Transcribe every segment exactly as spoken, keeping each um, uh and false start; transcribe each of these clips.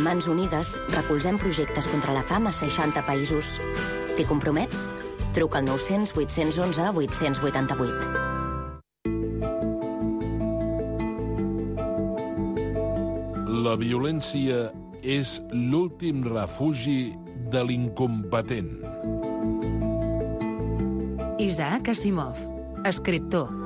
A Mans Unides recolzem projectes contra la fam a seixanta països. T'hi compromets? Truca al nou cents vuit cents onze vuit cents vuitanta-vuit. La violència és l'últim refugi de l'incompetent. Isaac Asimov, escriptor.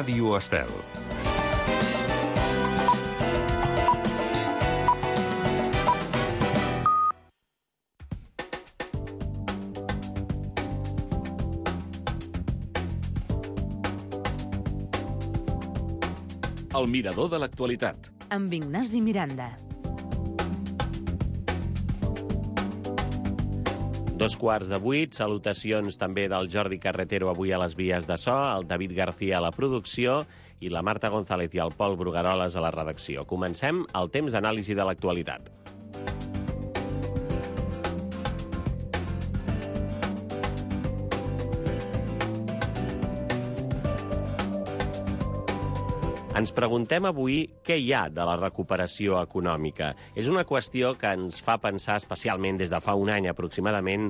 Ràdio Estel. El mirador de l'actualitat. Amb Ignasi Miranda. Dos quarts de vuit, salutacions també del Jordi Carretero avui a les vies de so, el David García a la producció i la Marta González i el Pol Brugueroles a la redacció. Comencem el temps d'anàlisi de l'actualitat. Ens preguntem avui què hi ha de la recuperació econòmica. És una qüestió que ens fa pensar, especialment des de fa un any aproximadament,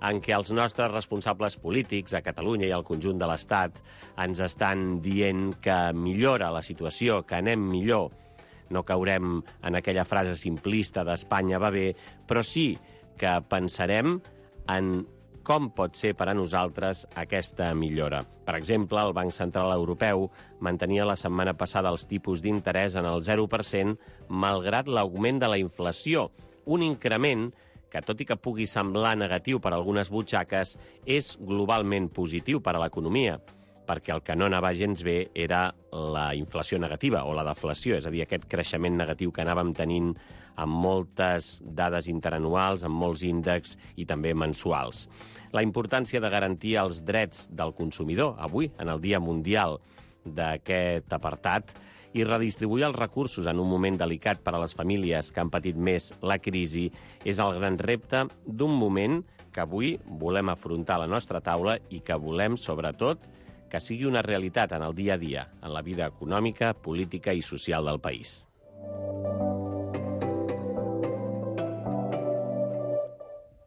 en què els nostres responsables polítics a Catalunya i al conjunt de l'Estat ens estan dient que millora la situació, que anem millor. No caurem en aquella frase simplista d'Espanya va bé, però sí que pensarem en com pot ser per a nosaltres aquesta millora. Per exemple, el Banc Central Europeu mantenia la setmana passada els tipus d'interès en el zero per cent malgrat l'augment de la inflació, un increment que, tot i que pugui semblar negatiu per a algunes butxaques, és globalment positiu per a l'economia, perquè el que no anava gens bé era la inflació negativa o la deflació, és a dir, aquest creixement negatiu que anàvem tenint amb moltes dades interanuals, amb molts índexs i també mensuals. La importància de garantir els drets del consumidor, avui, en el Dia Mundial d'aquest apartat, i redistribuir els recursos en un moment delicat per a les famílies que han patit més la crisi, és el gran repte d'un moment que avui volem afrontar a la nostra taula i que volem, sobretot, que sigui una realitat en el dia a dia, en la vida econòmica, política i social del país.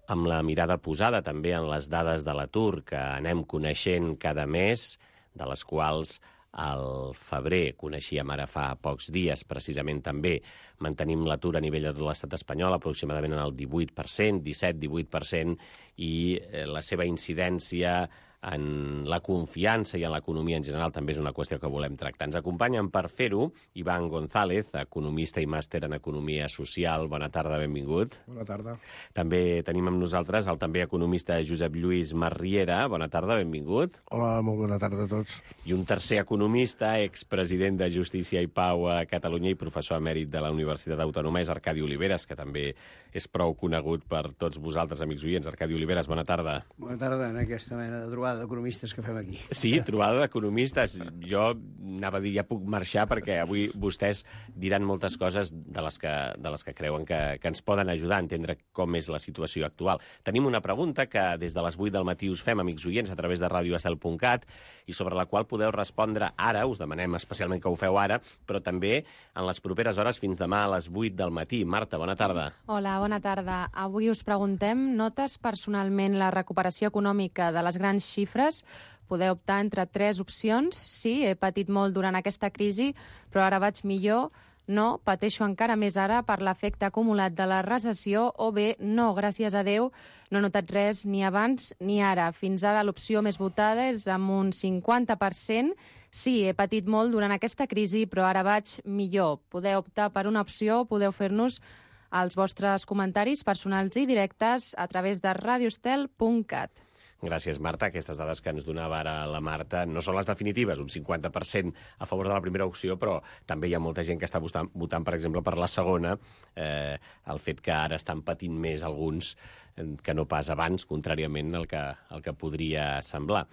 Amb la mirada posada també en les dades de l'atur que anem coneixent cada mes, de les quals al febrer coneixíem ara fa pocs dies, precisament també mantenim l'atur a nivell de tot l'estat espanyol aproximadament en el divuit per cent, disset divuit per cent, i la seva incidència en la confiança i en l'economia en general també és una qüestió que volem tractar. Ens acompanyen per fer-ho Iván González, economista i màster en Economia Social. Bona tarda, benvingut. Bona tarda. També tenim amb nosaltres el també economista Josep Lluís Marriera. Bona tarda, benvingut. Hola, molt bona tarda a tots. I un tercer economista, expresident de Justícia i Pau a Catalunya i professor emèrit de la Universitat Autònoma, és Arcadi Oliveres, que també és prou conegut per tots vosaltres, amics oients. Arcadi Oliveres, bona tarda. Bona tarda en aquesta mena de trobada d'economistes que fem aquí. Sí, trobada d'economistes. Jo anava a dir, ja puc marxar, perquè avui vostès diran moltes coses de les que, de les que creuen que, que ens poden ajudar a entendre com és la situació actual. Tenim una pregunta que des de les vuit del matí us fem, amics oients, a través de radio estel punt cat, i sobre la qual podeu respondre ara, us demanem especialment que ho feu ara, però també en les properes hores fins demà a les vuit del matí. Marta, bona tarda. Hola, bona tarda. Avui us preguntem, notes personalment la recuperació econòmica de les grans xifres? Podeu optar entre tres opcions. Sí, he patit molt durant aquesta crisi, però ara vaig millor. No, pateixo encara més ara per l'efecte acumulat de la recessió, o bé, no, gràcies a Déu, no he notat res ni abans ni ara. Fins ara l'opció més votada és amb un cinquanta per cent. Sí, he patit molt durant aquesta crisi, però ara vaig millor. Podeu optar per una opció, podeu fer-nos els vostres comentaris personals i directes a través de radio estel punt cat. Gràcies, Marta. Aquestes dades que ens donava ara la Marta no són les definitives, un cinquanta per cent a favor de la primera opció, però també hi ha molta gent que està votant, votant per exemple, per la segona, eh, el fet que ara estan patint més alguns eh, que no pas abans, contràriament al que, al que podria semblar.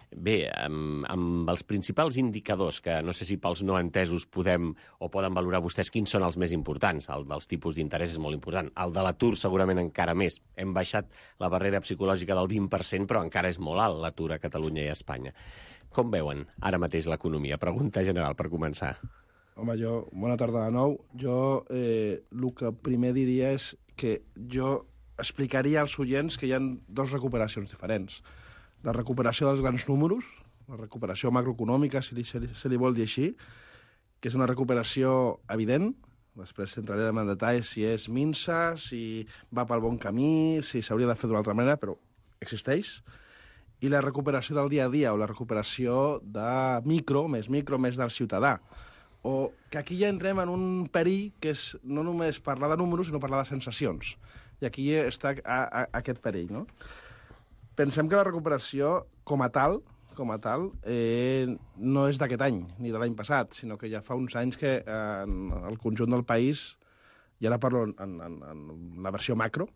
Bé, amb, amb els principals indicadors, que no sé si pels no entesos podem o poden valorar vostès quins són els més importants. El dels tipus d'interès és molt important. El de l'atur segurament encara més. Hem baixat la barrera psicològica del vint per cent, però encara és molt alt l'atur a Catalunya i a Espanya. Com veuen ara mateix l'economia? Pregunta general, per començar. Home, jo, bona tarda de nou. Jo eh, el que primer diria és que jo explicaria als oients que hi ha dos recuperacions diferents. La recuperació dels grans números, la recuperació macroeconòmica, si li, si, li, si li vol dir així, que és una recuperació evident. Després entrarem en detall si és minsa, si va pel bon camí, si s'hauria de fer d'una altra manera, però existeix. I la recuperació del dia a dia, o la recuperació de micro, més micro, més del ciutadà. O que aquí ja entrem en un perill que és no només parlar de números, sinó parlar de sensacions. I aquí està a, a, aquest perill, no? Pensem que la recuperació, com a tal, com a tal, eh, no és d'aquest any, ni de l'any passat, sinó que ja fa uns anys que eh, en el conjunt del país, i ara parlo en, en, en la versió macro,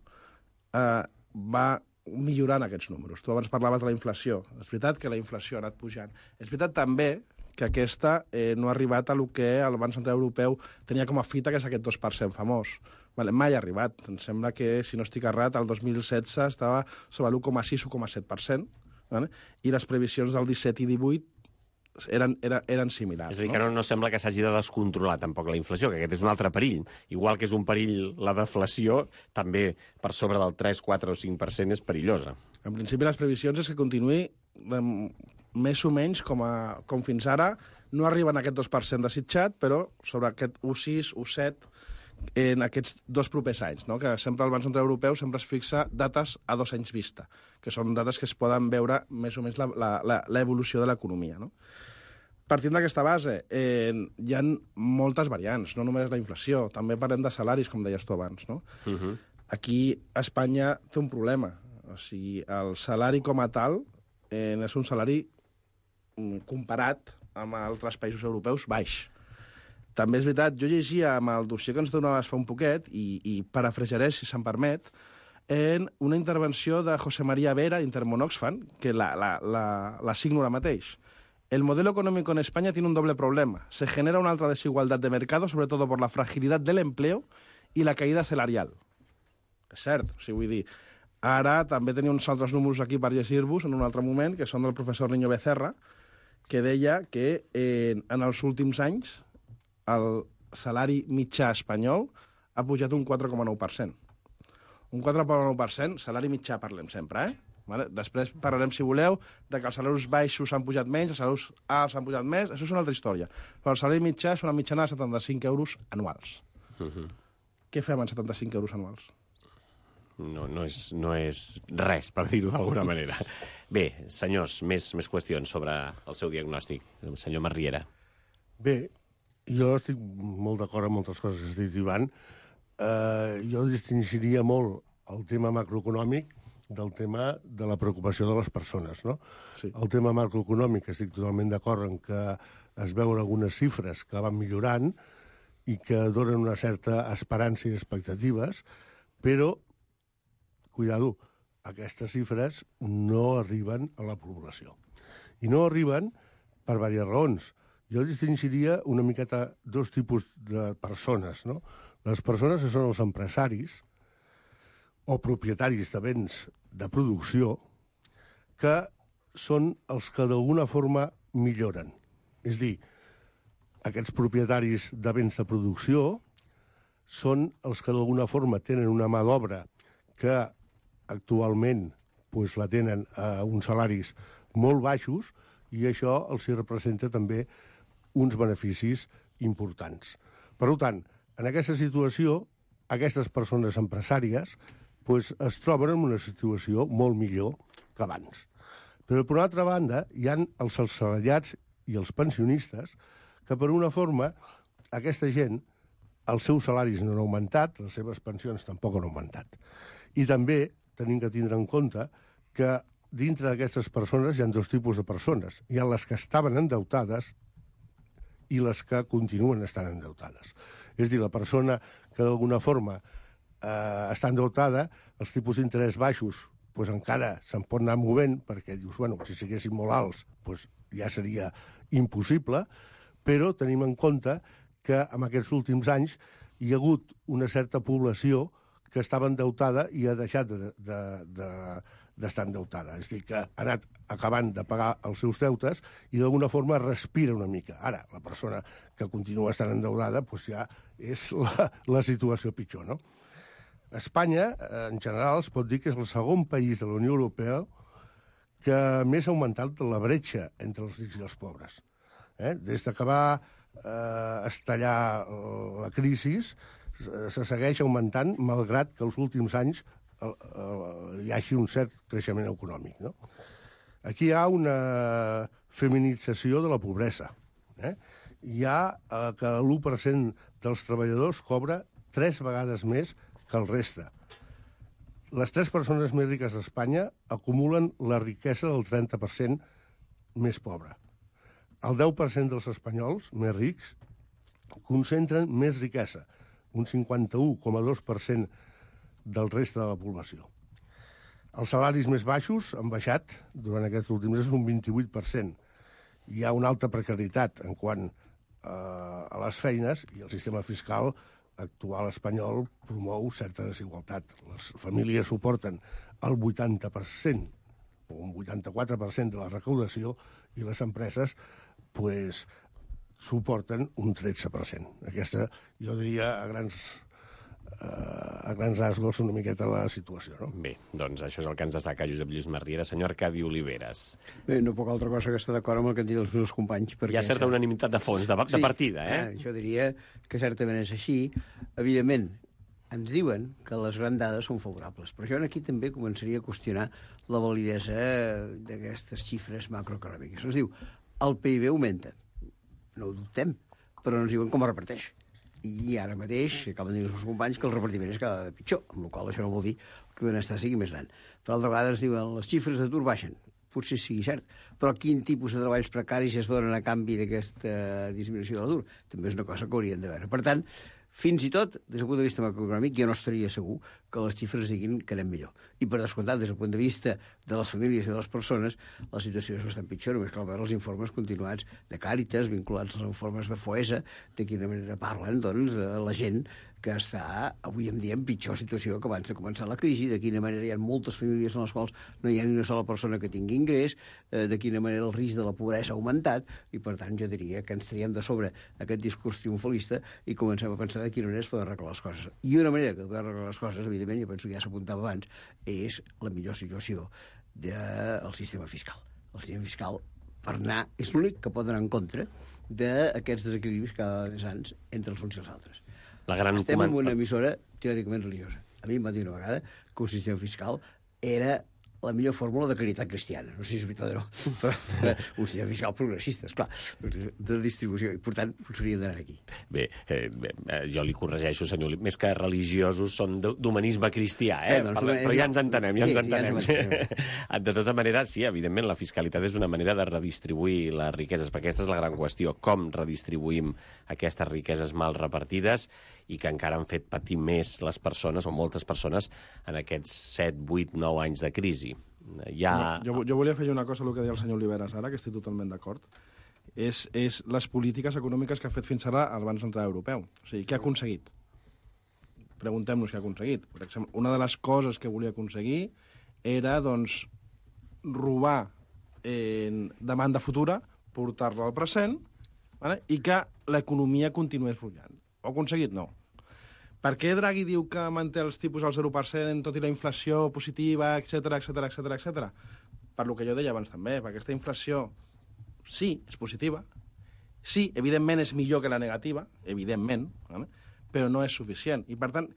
eh, va millorant aquests números. Tu abans parlaves de la inflació. És veritat que la inflació ha anat pujant. És veritat també que aquesta eh, no ha arribat a lo que el Banc Central Europeu tenia com a fita, que és aquest dos per cent famós. Vale, mai ha arribat. Em sembla que, si no estic errat, el dos mil setze estava sobre l'u coma sis u coma set per cent, vale? I les previsions del disset i divuit eren, eren, eren similars. És a dir, no? que no, no sembla que s'hagi de descontrolar tampoc la inflació, que aquest és un altre perill. Igual que és un perill la deflació, també per sobre del tres, quatre o cinc per cent és perillosa. En principi, les previsions és que continuï de, més o menys com, a, com fins ara. No arriben a aquest dos per cent desitjat, però sobre aquest u coma sis, u coma set, en aquests dos propers anys, no? Que sempre el Banc Central Europeu sempre es fixa dates a dos anys vista, que són dates que es poden veure més o menys l'evolució de l'economia, no? Partint d'aquesta base, eh, hi ha moltes variants, no només la inflació, també parlem de salaris, com deies tu abans, no? Uh -huh. Aquí Espanya té un problema, o sigui, el salari com a tal eh, és un salari comparat amb altres països europeus baix. També és veritat, jo llegia amb el dossier que ens donaves fa un poquet, i, i parafrasejaré, si se'm permet, en una intervenció de José María Vera, Intermón Oxfam, que la, la, la, la signo ara mateix. El modelo económico en España tiene un doble problema. Se genera una alta desigualdad de mercado, sobre todo por la fragilidad del empleo y la caída salarial. És cert, o sigui, vull dir, ara també tenia uns altres números aquí per llegir-vos en un altre moment, que són del professor Niño Becerra, que deia que eh, en els últims anys el salari mitjà espanyol ha pujat un quatre coma nou per cent. Un quatre coma nou per cent, salari mitjà parlem sempre, eh? Vale? Després parlarem, si voleu, de que els salaris baixos han pujat menys, els salaris alts han pujat més, això és una altra història. Però el salari mitjà és una mitjana de setanta-cinc euros anuals. Uh -huh. Què fem amb setanta-cinc euros anuals? No, no, és, no és res, per dir-ho d'alguna manera. Bé, senyors, més, més qüestions sobre el seu diagnòstic. El senyor Masriera. Bé, jo estic molt d'acord amb moltes coses que has dit, Ivan. Uh, jo distingiria molt el tema macroeconòmic del tema de la preocupació de les persones, no? Sí. El tema macroeconòmic, estic totalment d'acord en que es veuen algunes xifres que van millorant i que donen una certa esperança i expectatives, però, cuidado, aquestes xifres no arriben a la població. I no arriben per diverses raons. Jo distingiria una miqueta dos tipus de persones, no? Les persones que són els empresaris o propietaris de béns de producció, que són els que d'alguna forma milloren. És a dir, aquests propietaris de béns de producció són els que d'alguna forma tenen una mà d'obra que actualment pues, la tenen a uns salaris molt baixos i això els hi representa també uns beneficis importants. Per tant, en aquesta situació, aquestes persones empresàries pues, es troben en una situació molt millor que abans. Però, per una altra banda, hi ha els assalariats i els pensionistes que, per una forma, aquesta gent, els seus salaris no han augmentat, les seves pensions tampoc han augmentat. I també tenim que tindre en compte que dintre d'aquestes persones hi ha dos tipus de persones. Hi ha les que estaven endeutades i les que continuen estant endeutades. És a dir, la persona que d'alguna forma eh, està endeutada, els tipus d'interès baixos pues, encara se'n pot anar movent, perquè dius, bueno, si siguessin molt alts pues, ja seria impossible, però tenim en compte que en aquests últims anys hi ha hagut una certa població que estava endeutada i ha deixat de, de, de, d'estar endeutada. És a dir, que ha anat acabant de pagar els seus deutes i d'alguna forma respira una mica. Ara, la persona que continua estant endeudada doncs ja és la, la situació pitjor, no? Espanya, en general, es pot dir que és el segon país de la Unió Europea que més ha augmentat la bretxa entre els rics i els pobres. Eh? Des que va eh, estallar la crisi, se segueix augmentant, malgrat que els últims anys el, el, hi hagi un cert creixement econòmic, no? Aquí hi ha una feminització de la pobresa. Eh? Hi ha eh, que l'u per cent dels treballadors cobra tres vegades més que el reste. Les tres persones més riques d'Espanya acumulen la riquesa del trenta per cent més pobre. El deu per cent dels espanyols més rics concentren més riquesa, un cinquanta-u coma dos per cent del reste de la població. Els salaris més baixos han baixat durant aquests últims mesos un vint-i-vuit per cent. Hi ha una alta precarietat en quant eh, a les feines i el sistema fiscal actual espanyol promou certa desigualtat. Les famílies suporten el vuitanta per cent o un vuitanta-quatre per cent de la recaudació i les empreses pues, suporten un tretze per cent. Aquesta, jo diria, a grans, eh, a grans rasgos una miqueta la situació. No? Bé, doncs això és el que ens destaca Josep Lluís Marriera. Senyor Arcadi Oliveres. Bé, no puc altra cosa que estar d'acord amb el que han dit els meus companys. Perquè Hi ha certa unanimitat de fons, de, de sí, partida, eh? eh? Jo diria que certament és així. Evidentment, ens diuen que les grans dades són favorables, però jo aquí també començaria a qüestionar la validesa d'aquestes xifres macroeconòmiques. Ens diu, el P I B augmenta. No ho dubtem, però no ens diuen com es reparteix. I ara mateix, acaben de dir els meus companys, que el repartiment és cada vegada pitjor, amb la qual cosa això no vol dir que el benestar sigui més gran. Per altra vegada ens diuen les xifres d'atur baixen. Potser sigui cert, però quin tipus de treballs precaris es donen a canvi d'aquesta disminució de l'atur? També és una cosa que haurien de veure. Per tant, fins i tot, des del punt de vista macroeconòmic, jo no estaria segur que les xifres diguin que anem millor. I per descomptat, des del punt de vista de les famílies i de les persones, la situació és bastant pitjor. Només cal veure els informes continuats de Càritas, vinculats als informes de Foesa, de quina manera parlen, doncs, de la gent que està avui en dia en pitjor situació que abans de començar la crisi, de quina manera hi ha moltes famílies en les quals no hi ha ni una sola persona que tingui ingrés, eh, de quina manera el risc de la pobresa ha augmentat, i per tant jo diria que ens traiem de sobre aquest discurs triomfalista i comencem a pensar de quina manera es poden arreglar les coses. I una manera que poden arreglar les coses, evidentment, jo penso que ja s'apuntava abans, és la millor situació del sistema fiscal. El sistema fiscal, per anar, és l'únic que pot anar en contra d'aquests desequilibris cada vegada més grans entre els uns i els altres. La gran Estem coment... en una emissora teòricament religiosa. A mi em va dir una vegada que un sistema fiscal era la millor fórmula de caritat cristiana. No sé si és veritat o no, però un sistema fiscal progressista, esclar, de distribució, i per tant, ens hauríem d'anar aquí. Bé, eh, bé, jo li corregeixo, senyor, més que religiosos són d'humanisme cristià, eh? Bé, doncs, Parla, però ja ens entenem, ja sí, ens entenem. Ja ens entenem. De tota manera, sí, evidentment, la fiscalitat és una manera de redistribuir les riqueses, perquè aquesta és la gran qüestió, com redistribuïm aquestes riqueses mal repartides i que encara han fet patir més les persones, o moltes persones, en aquests set, vuit, nou anys de crisi. Ja... No, jo, jo volia fer una cosa, el que deia el senyor Oliveres ara, que estic totalment d'acord, és, és les polítiques econòmiques que ha fet fins ara el Banc Central Europeu. O sigui, què ha aconseguit? Preguntem-nos què ha aconseguit. Per exemple, una de les coses que volia aconseguir era, doncs, robar eh, demanda futura, portar-la al present, vale? I que l'economia continués fluyant. Ho ha aconseguit? No. Per què Draghi diu que manté els tipus al zero per cent, tot i la inflació positiva, etcètera, etcètera, etcètera, etcètera? Per lo que jo deia abans també, perquè aquesta inflació, sí, és positiva, sí, evidentment és millor que la negativa, evidentment, vale? Però no és suficient. I, per tant,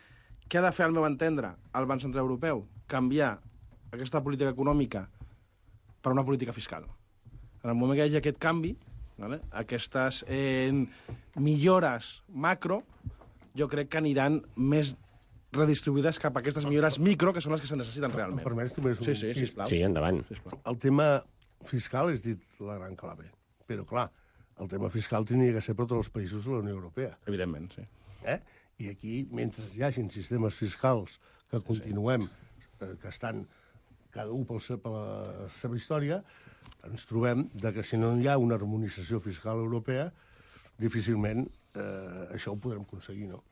què ha de fer, al meu entendre, el Banc Central Europeu? Canviar aquesta política econòmica per una política fiscal. En el moment que hi hagi aquest canvi, vale? Aquestes eh, millores macro, jo crec que aniran més redistribuïdes cap a aquestes millores micro, que són les que se necessiten realment. Em permets només un... Sí, sí, sisplau. Sí, endavant. Sisplau. El tema fiscal és dit la gran clave. Però, clar, el tema fiscal tenia que ser per tots els països de la Unió Europea. Evidentment, sí. Eh? I aquí, mentre hi hagin sistemes fiscals que continuem, eh, que estan cada un pel se, per la seva història, ens trobem de que si no hi ha una harmonització fiscal europea, difícilment eh, això ho podrem aconseguir, no?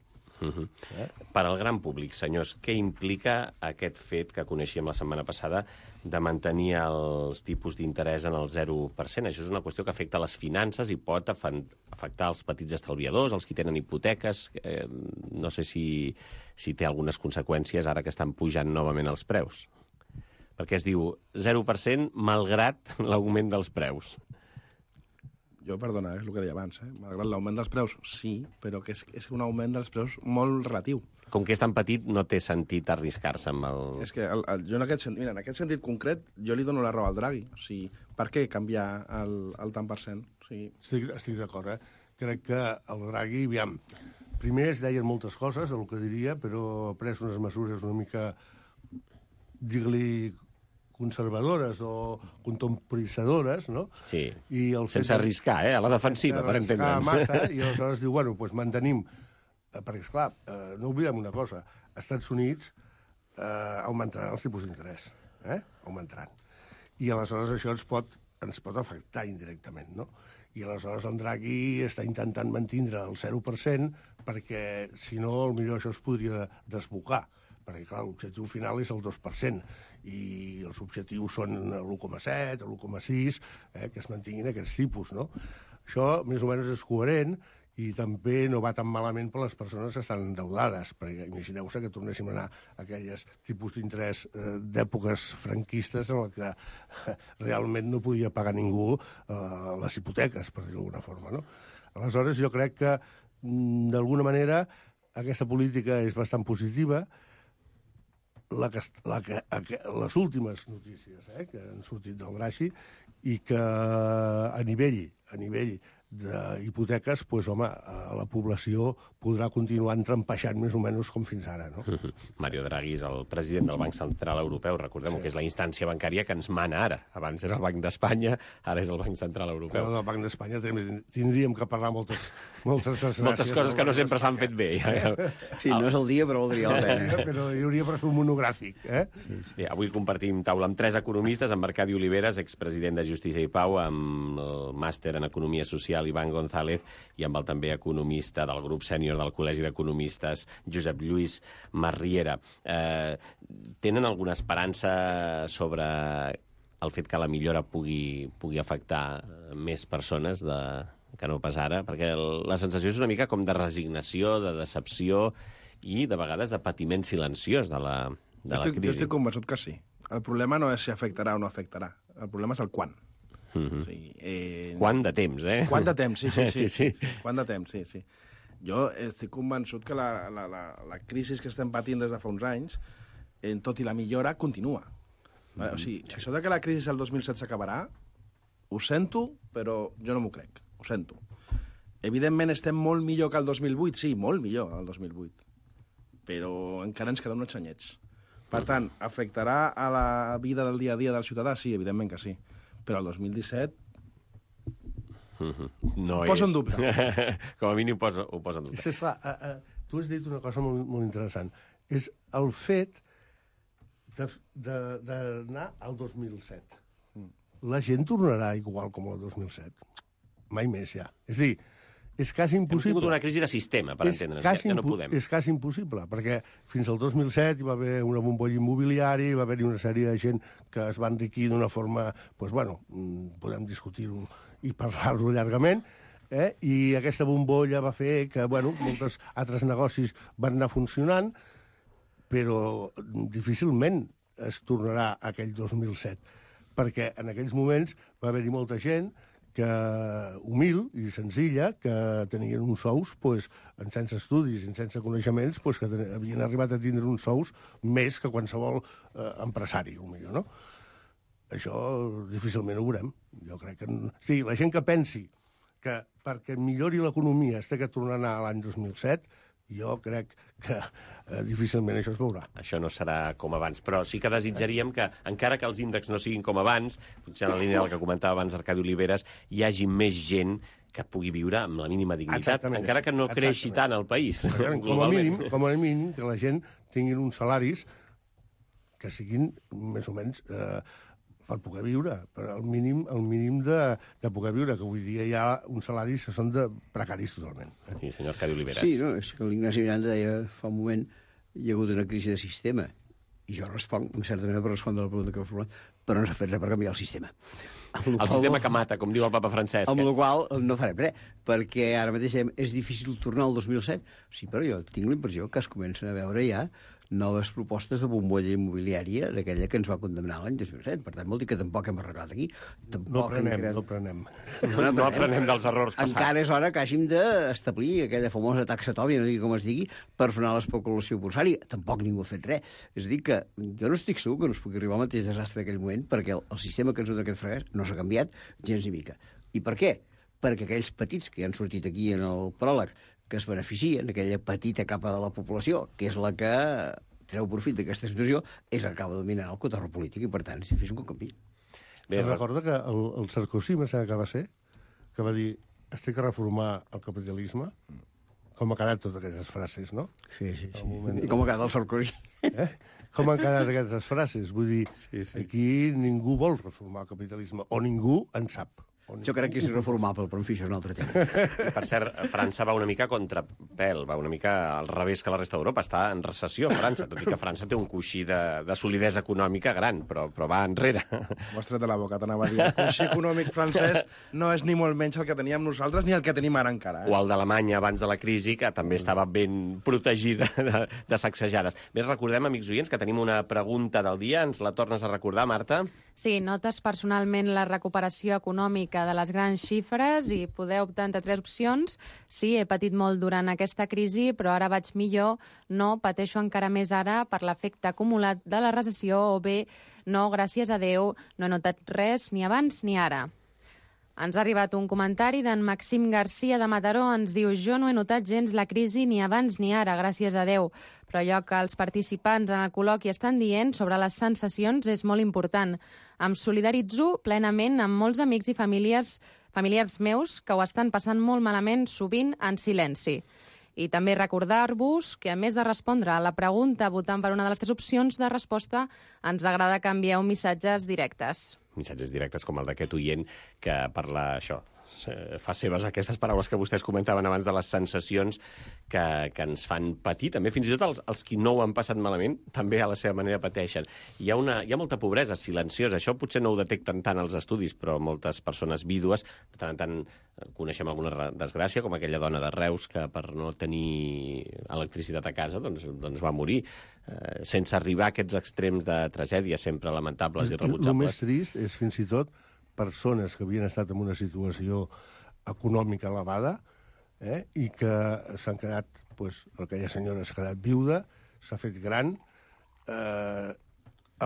Uh -huh. eh? Per al gran públic, senyors, què implica aquest fet que coneixíem la setmana passada de mantenir els tipus d'interès en el zero per cent? Això és una qüestió que afecta les finances i pot afectar els petits estalviadors, els que tenen hipoteques. Eh, no sé si, si té algunes conseqüències ara que estan pujant novament els preus. Perquè es diu zero per cent malgrat l'augment dels preus. Jo, perdona, és el que deia abans, eh? Malgrat l'augment dels preus, sí, però que és, és un augment dels preus molt relatiu. Com que és tan petit, no té sentit arriscar-se amb el... És que el, el, jo en aquest, mira, en aquest sentit concret, jo li dono la raó al Draghi. O sigui, per què canviar el, el tant per cent? O sigui... Estic, estic d'acord, eh? Crec que el Draghi, aviam, primer es deien moltes coses, el que diria, però ha pres unes mesures una mica, digue-li conservadores o contemporitzadores, no? Sí, I el sense fet... arriscar, eh? A la defensiva, per entendre'ns. Massa, i aleshores diu, bueno, doncs mantenim... Perquè, esclar, eh, no oblidem una cosa. Els Estats Units eh, augmentaran els tipus d'interès. Eh? Augmentaran. I aleshores això ens pot, ens pot afectar indirectament, no? I aleshores el Draghi està intentant mantindre el zero per cent perquè, si no, potser això es podria desbocar. Perquè, clar, l'objectiu final és el dos per cent i els objectius són l'u coma set, l'u coma sis, eh, que es mantinguin aquests tipus, no? Això, més o menys, és coherent i també no va tan malament per les persones que estan endeudades, perquè imagineu-se que tornéssim a anar a aquelles tipus d'interès eh, d'èpoques franquistes en què eh, realment no podia pagar ningú eh, les hipoteques, per dir-ho d'alguna forma, no? Aleshores, jo crec que, d'alguna manera, aquesta política és bastant positiva. La que, la que, les últimes notícies eh, que han sortit del Draghi i que a nivell, a nivell d'hipoteques, doncs, home, la població podrà continuar entrampeixant més o menys com fins ara, no? Mario Draghi és el president del Banc Central Europeu, recordem sí. que és la instància bancària que ens mana ara. Abans era el Banc d'Espanya, ara és el Banc Central Europeu. Però del Banc d'Espanya tindríem que parlar moltes, moltes desgràcies. Moltes coses que no sempre s'han fet bé. Sí, no és el dia, però valdria la pena. Però hi hauria per fer un monogràfic, eh? Sí, sí. Bé, avui compartim taula amb tres economistes, amb Arcadi Oliveres, expresident de Justícia i Pau, amb el màster en Economia Social, Ivan González, i amb el també economista del grup sènior del Col·legi d'Economistes, Josep Lluís Marriera. Eh, tenen alguna esperança sobre el fet que la millora pugui, pugui afectar més persones de, que no pas ara? Perquè la sensació és una mica com de resignació, de decepció i, de vegades, de patiment silenciós de la, de la estic, crisi. Jo estic convençut que sí. El problema no és si afectarà o no afectarà. El problema és el quan. Mm-hmm. O sigui, eh... Quant de temps, eh? Quant de temps, sí, sí, sí. sí, sí. Quant de temps, sí, sí. Jo estic convençut que la, la, la, la crisi que estem patint des de fa uns anys, en tot i la millora, continua. Mm-hmm. O sigui, això de que la crisi el dos mil set s'acabarà, ho sento, però jo no m'ho crec. Ho sento. Evidentment estem molt millor que el dos mil vuit, sí, molt millor el dos mil vuit. Però encara ens queden uns anyets. Per tant, afectarà a la vida del dia a dia del ciutadà? Sí, evidentment que sí. Però el dos mil disset... No ho poso és. en dubte. Com a mínim ho poso, ho poso en dubte. És, esclar, uh, uh, tu has dit una cosa molt, molt interessant. És el fet d'anar al dos mil set. La gent tornarà igual com el dos mil set. Mai més, ja. És a dir, és quasi impossible. Hem tingut una crisi de sistema, per entendre'ns, ja, ja no podem. És quasi impossible, perquè fins al dos mil set hi va haver una bombolla immobiliària, hi va haver una sèrie de gent que es va enriquir d'una forma, doncs, bueno, podem discutir-ho i parlar-ho llargament, eh? I aquesta bombolla va fer que, bueno, molts altres negocis van anar funcionant, però difícilment es tornarà a aquell dos mil set, perquè en aquells moments va haver-hi molta gent que humil i senzilla, que tenien uns sous pues, sense estudis i sense coneixements, pues, que havien arribat a tindre uns sous més que qualsevol eh, empresari, potser, no? Això difícilment ho veurem. Jo crec que... Sí, la gent que pensi que perquè millori l'economia es té que tornar a anar a l'any dos mil set, jo crec que eh, difícilment això es veurà. Això no serà com abans, però sí que desitjaríem que, encara que els índexs no siguin com abans, potser en la línia del que comentava abans Arcadi Oliveres, hi hagi més gent que pugui viure amb la mínima dignitat, exactament, encara que no creixi tant el país. Com a mínim, com a mínim que la gent tinguin uns salaris que siguin més o menys... Eh, per poder viure, per al mínim, el mínim de, de poder viure, que avui dia hi ha uns salaris que són de precaris totalment. Sí, senyor Arcadi Oliveres. Sí, no, és que l'Ignasi Miranda deia fa un moment hi ha hagut una crisi de sistema, i jo responc, en certa manera, per respondre a la pregunta que heu formulat, però no s'ha fet res per canviar el sistema. El qual, sistema que mata, com diu el papa Francesc. Amb la qual no farem res, perquè ara mateix és difícil tornar al dos mil set. Sí, però jo tinc la impressió que es comencen a veure ja noves propostes de bombolla immobiliària d'aquella que ens va condemnar l'any dos mil set. Per tant, vol dir que tampoc hem arreglat aquí. Tampoc no aprenem, creat... no aprenem. No, no, no aprenem dels errors passats. Encara és hora que hàgim d'establir aquella famosa taxa tòbia, no digui com es digui, per frenar l'especulació borsària. Tampoc ningú ha fet res. És a dir, que jo no estic segur que no es pugui arribar al mateix desastre d'aquell moment, perquè el, el sistema que ens ha d'aquest fracàs no s'ha canviat gens ni mica. I per què? Perquè aquells petits que han sortit aquí en el pròleg, que es beneficien, aquella petita capa de la població, que és la que treu profit d'aquesta situació és el que acaba dominant el cotorro polític i, per tant, si fes un canvi. Se'n recorda que el, el Sarkozy, me sembla que va ser, que va dir es té que reformar el capitalisme, com ha quedat totes aquestes frases, no? Sí, sí, sí. Moment... I com ha quedat el Sarkozy. Eh? Com han quedat aquestes frases? Vull dir, sí, sí. aquí ningú vol reformar el capitalisme, o ningú en sap. Jo crec que és irreformable, però en fi, això és un altre tema. Per cert, França va una mica contrapèl, va una mica al revés que la resta d'Europa. Està en recessió, França, tot i que França té un coixí de, de solidesa econòmica gran, però, però va enrere. M'ho has tret de la boca, t'anava a dir. El coixí econòmic francès no és ni molt menys el que teníem nosaltres ni el que tenim ara encara. Eh? O el d'Alemanya abans de la crisi, que també estava ben protegida de, de sacsejades. Bé, recordem, amics oients, que tenim una pregunta del dia. Ens la tornes a recordar, Marta? Sí, notes personalment la recuperació econòmica de les grans xifres i podeu optar entre tres opcions. Sí, he patit molt durant aquesta crisi, però ara vaig millor. No, pateixo encara més ara per l'efecte acumulat de la recessió. O bé, no, gràcies a Déu, no he notat res ni abans ni ara. Ens ha arribat un comentari d'en Maxim Garcia de Mataró. Ens diu, jo no he notat gens la crisi ni abans ni ara, gràcies a Déu. Però allò que els participants en el col·loqui estan dient sobre les sensacions és molt important. Em solidaritzo plenament amb molts amics i famílies, familiars meus que ho estan passant molt malament, sovint en silenci. I també recordar-vos que, a més de respondre a la pregunta votant per una de les tres opcions de resposta, ens agrada que envieu missatges directes. Missatges directes com el d'aquest oient que parla això, fa seves aquestes paraules que vostès comentaven abans de les sensacions que, que ens fan patir. També fins i tot els, els qui no ho han passat malament també a la seva manera pateixen. Hi ha, una, hi ha molta pobresa silenciosa. Això potser no ho detecten tant els estudis, però moltes persones vídues, de tant en tant coneixem alguna desgràcia, com aquella dona de Reus que per no tenir electricitat a casa doncs, doncs va morir, eh, sense arribar a aquests extrems de tragèdia sempre lamentables i rebutjables. El més trist és fins i tot persones que havien estat en una situació econòmica elevada eh, i que s'han quedat, doncs, aquella senyora s'ha quedat viuda, s'ha fet gran, eh,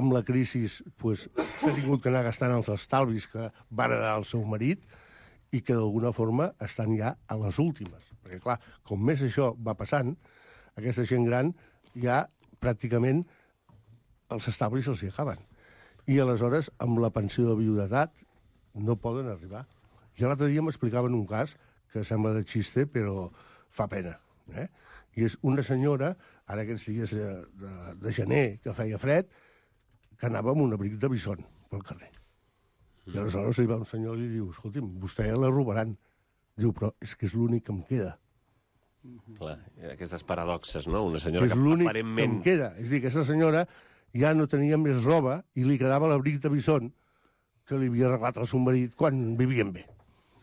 amb la crisi doncs, s'ha tingut que anar gastant els estalvis que va heredar el seu marit i que d'alguna forma estan ja a les últimes. Perquè, clar, com més això va passant, aquesta gent gran ja pràcticament els estalvis se'ls hi acaben. I aleshores, amb la pensió de viudetat, no poden arribar. Jo l'altre dia m'explicaven un cas que sembla de xiste, però fa pena. Eh? I és una senyora, ara aquests dies de, de, de gener, que feia fred, que anava amb un abric de bison pel carrer. I aleshores hi va un senyor i li diu, escolti'm, vostè la robaran. Diu, però és que és l'únic que em queda. Clar, aquestes paradoxes, no? Una senyora és que l'únic aparentment... que em queda. És a dir, aquesta senyora ja no tenia més roba i li quedava l'abric de bison que li havia arreglat el seu marit quan vivien bé.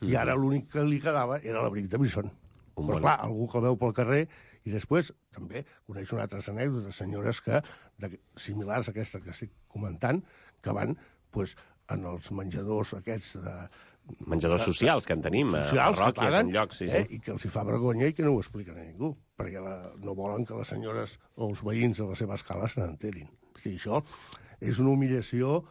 I ara l'únic que li quedava era l'abric de bison. Un Però bon... clar, algú que el veu pel carrer i després també coneix una altra anècdota de senyores que, de, similars a aquesta que estic comentant, que van pues, en els menjadors aquests de... Menjadors socials que en tenim, socials, a parròquies, paguen, en llocs, sí, sí. Eh, i que els hi fa vergonya i que no ho expliquen a ningú, perquè la, no volen que les senyores o els veïns de la seva escala se n'enterin. O sigui, això és una humillació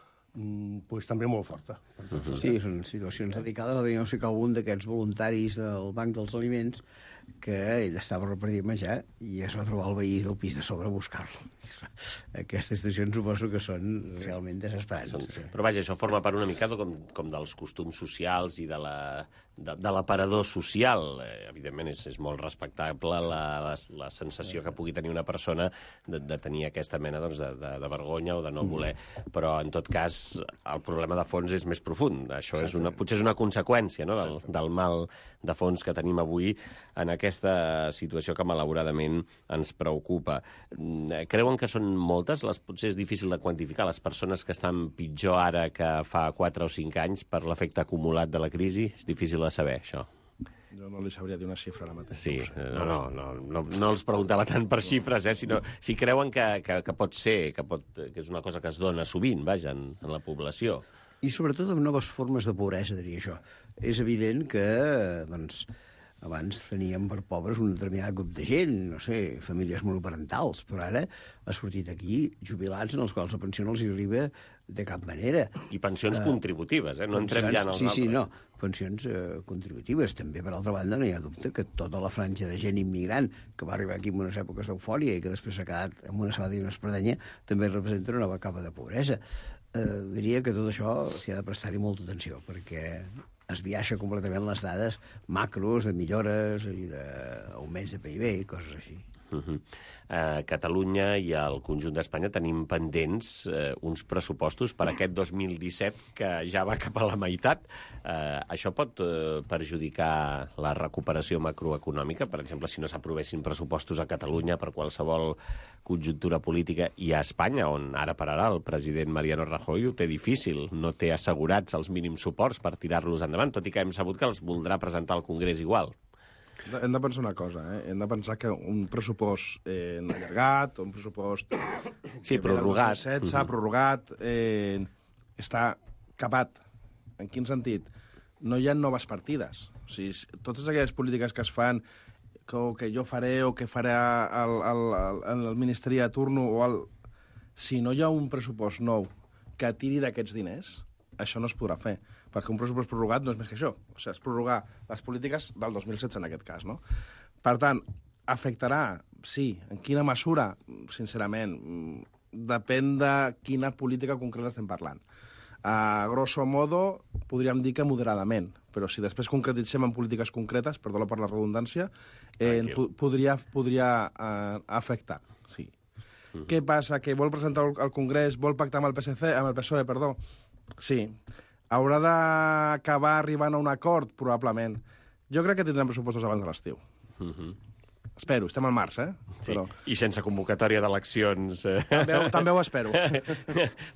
pues, també molt forta. Uh-huh. Sí, són situacions delicades. No sé que algun d'aquests voluntaris del Banc dels Aliments que ell estava repartint menjar i es va trobar el veí del pis de sobre a buscar-lo. Aquestes situacions suposo que són realment desesperants. Són, sí. Però vaja, això forma part una mica com, com dels costums socials i de la, de, de l'aparador social. Eh, evidentment és, és molt respectable la, la, la sensació que pugui tenir una persona de, de tenir aquesta mena doncs, de, de, de vergonya o de no voler. Però en tot cas el problema de fons és més profund. Això és una, potser és una conseqüència, no, del, del mal de fons que tenim avui en aquesta situació que malauradament ens preocupa. Creuen que són moltes? Les, potser és difícil de quantificar les persones que estan pitjor ara que fa quatre o cinc anys per l'efecte acumulat de la crisi? És difícil de saber, això. Jo no li sabria dir una xifra ara mateix. Sí, no, no, no, no, no els preguntava tant per xifres, eh, sinó si creuen que, que, que pot ser, que, pot, que és una cosa que es dona sovint, vaja, en, en la població. I sobretot amb noves formes de pobresa, diria això. És evident que, doncs, Abans teníem per pobres un determinat grup de gent, no sé, famílies monoparentals, però ara ha sortit aquí jubilats en els quals la pensió no els arriba de cap manera. I pensions uh, contributives, eh? No entrem ja en els sí, altres. Sí, no, pensions uh, contributives. També, per altra banda, no hi ha dubte que tota la franja de gent immigrant que va arribar aquí en unes èpoques d'eufòria i que després s'ha quedat amb una sabata i una espardenya també representa una nova capa de pobresa. Uh, diria que tot això s'hi ha de prestar-hi molta atenció, perquè es viaixa completament les dades macros de millores i d'augments de P I B i coses així. Uh -huh. A Catalunya i al conjunt d'Espanya tenim pendents eh, uns pressupostos per aquest dos mil disset que ja va cap a la meitat. Eh, això pot eh, perjudicar la recuperació macroeconòmica? Per exemple, si no s'aprovessin pressupostos a Catalunya per qualsevol conjuntura política i a Espanya, on ara per ara el president Mariano Rajoy ho té difícil, no té assegurats els mínims suports per tirar-los endavant, tot i que hem sabut que els voldrà presentar al Congrés igual. Hem de pensar una cosa, eh? Hem de pensar que un pressupost eh, allargat, un pressupost... Sí, prorrogat. setze, uh-huh. prorrogat, eh, està capat. En quin sentit? No hi ha noves partides. O sigui, totes aquelles polítiques que es fan, que, o que jo faré o que farà el, el, el, el Ministeri de turno, o el... si no hi ha un pressupost nou que tiri d'aquests diners, això no es podrà fer, perquè un pressupost prorrogat no és més que això. O sigui, és prorrogar les polítiques del dos mil setze en aquest cas, no? Per tant, afectarà, sí. En quina mesura? Sincerament, depèn de quina política concreta estem parlant. A grosso modo, podríem dir que moderadament, però si després concretitzem en polítiques concretes, perdó per la redundància, eh, podria, podria eh, afectar, sí. Mm. Què passa? Que vol presentar al Congrés, vol pactar amb el P S C, amb el P S O E, perdó? Sí. Haurà d'acabar arribant a un acord? Probablement. Jo crec que tindrem pressupostos abans de l'estiu. Uh-huh. Espero, estem al març, eh? Sí. Però... I sense convocatòria d'eleccions. Eh? També, també ho espero.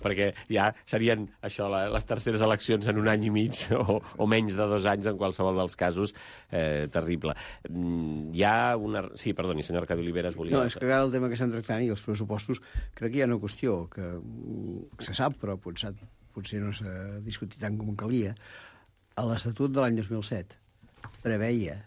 Perquè ja serien això, les terceres eleccions en un any i mig o, o menys de dos anys en qualsevol dels casos. Eh, terrible. Hi ha una... Sí, perdoni, senyor Arcadi Oliveres, volia... No, és que ara el tema que estem tractant i els pressupostos, crec que hi ha una qüestió que se sap, però potser, potser no s'ha discutit tant com calia. A l'Estatut de l'any dos mil set preveia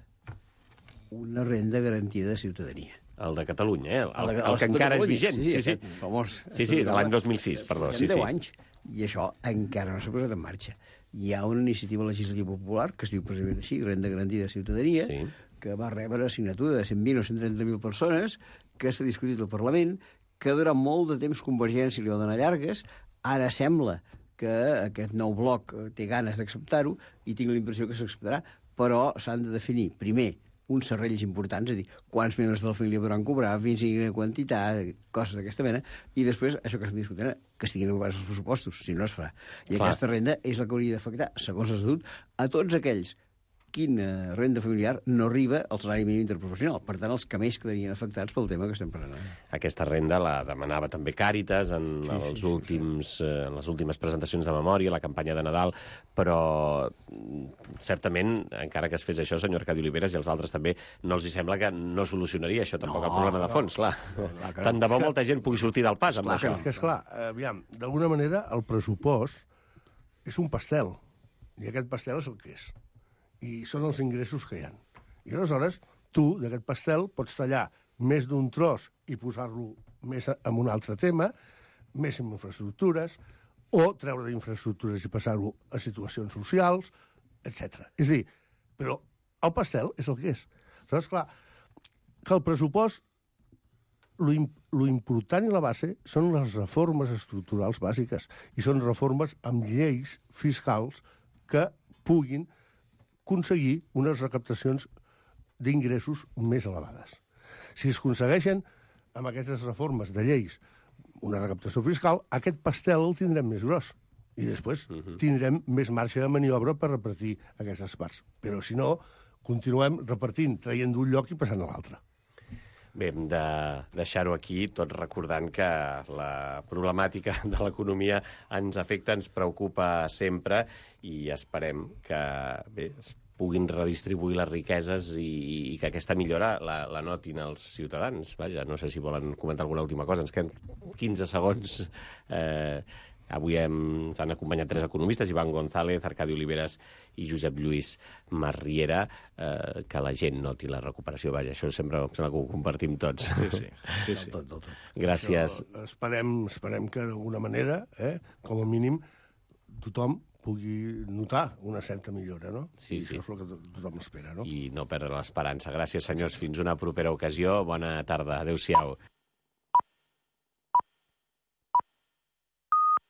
una renda garantida de ciutadania. El de Catalunya, eh? El, el, el, el que encara és vigent. Sí, sí, sí, sí. Famós. Sí, sí, de l'any dos mil sis, perdó. Sí, deu sí. anys, i això encara no s'ha posat en marxa. Hi ha una iniciativa legislativa popular, que es diu precisament així, Renda Garantida de Ciutadania, sí. que va rebre assignatura de cent vint o cent trenta mil persones, que s'ha discutit al Parlament, que durant molt de temps Convergència li va donar llargues, ara sembla que aquest nou bloc té ganes d'acceptar-ho, i tinc la impressió que s'acceptarà, però s'han de definir, primer, uns serrells importants, és a dir, quants membres de la família podran cobrar, fins a quina quantitat, coses d'aquesta mena, i després, això que estem discutint, que estiguin ocupada els pressupostos, si no es farà. I Clar. Aquesta renda és la que hauria d'afectar, segons l'Estatut, a tots aquells quina renda familiar no arriba al salari mínim interprofessional. Per tant, els que més quedarien afectats pel tema que estem parlant. Aquesta renda la demanava també Càritas en, sí, els sí, últims, sí. en les últimes presentacions de memòria, la campanya de Nadal, però certament, encara que es fes això, senyor Arcadi Oliveres, i els altres també, no els hi sembla que no solucionaria això tampoc no, el problema de fons, clar. No, no, clar Tant de bo que... molta gent pugui sortir del pas amb clar, això. És que, esclar, aviam, d'alguna manera el pressupost és un pastel, i aquest pastel és el que és. I són els ingressos que hi ha. I aleshores, tu, d'aquest pastel, pots tallar més d'un tros i posar-lo més en un altre tema, més en infraestructures, o treure d'infraestructures i passar-ho a situacions socials, etcètera. És a dir, però el pastel és el que és. Aleshores, clar, que el pressupost, lo, lo important i la base són les reformes estructurals bàsiques, i són reformes amb lleis fiscals que puguin aconseguir unes recaptacions d'ingressos més elevades. Si es aconsegueixen amb aquestes reformes de lleis una recaptació fiscal, aquest pastel el tindrem més gros i després uh-huh. tindrem més marge de maniobra per repartir aquestes parts. Però si no, continuem repartint, traient d'un lloc i passant a l'altre. Bé, hem de deixar-ho aquí, tot recordant que la problemàtica de l'economia ens afecta, ens preocupa sempre i esperem que bé, es puguin redistribuir les riqueses i, i que aquesta millora la, la notin els ciutadans. Vaja, no sé si volen comentar alguna última cosa. Ens queden quinze segons. Eh, Avui ens han acompanyat tres economistes, Ivan González, Arcadi Oliveras i Josep Lluís Marriera, eh, que la gent noti la recuperació. Vaja, això sempre, sempre que ho compartim tots. Sí, sí. sí, sí. Tot, tot, tot. Gràcies. Això, esperem, esperem que d'alguna manera, eh, com a mínim, tothom pugui notar una certa millora, no? Sí, I sí. això és el que tothom espera, no? I no perdre l'esperança. Gràcies, senyors. Fins una propera ocasió. Bona tarda. Adéu-siau.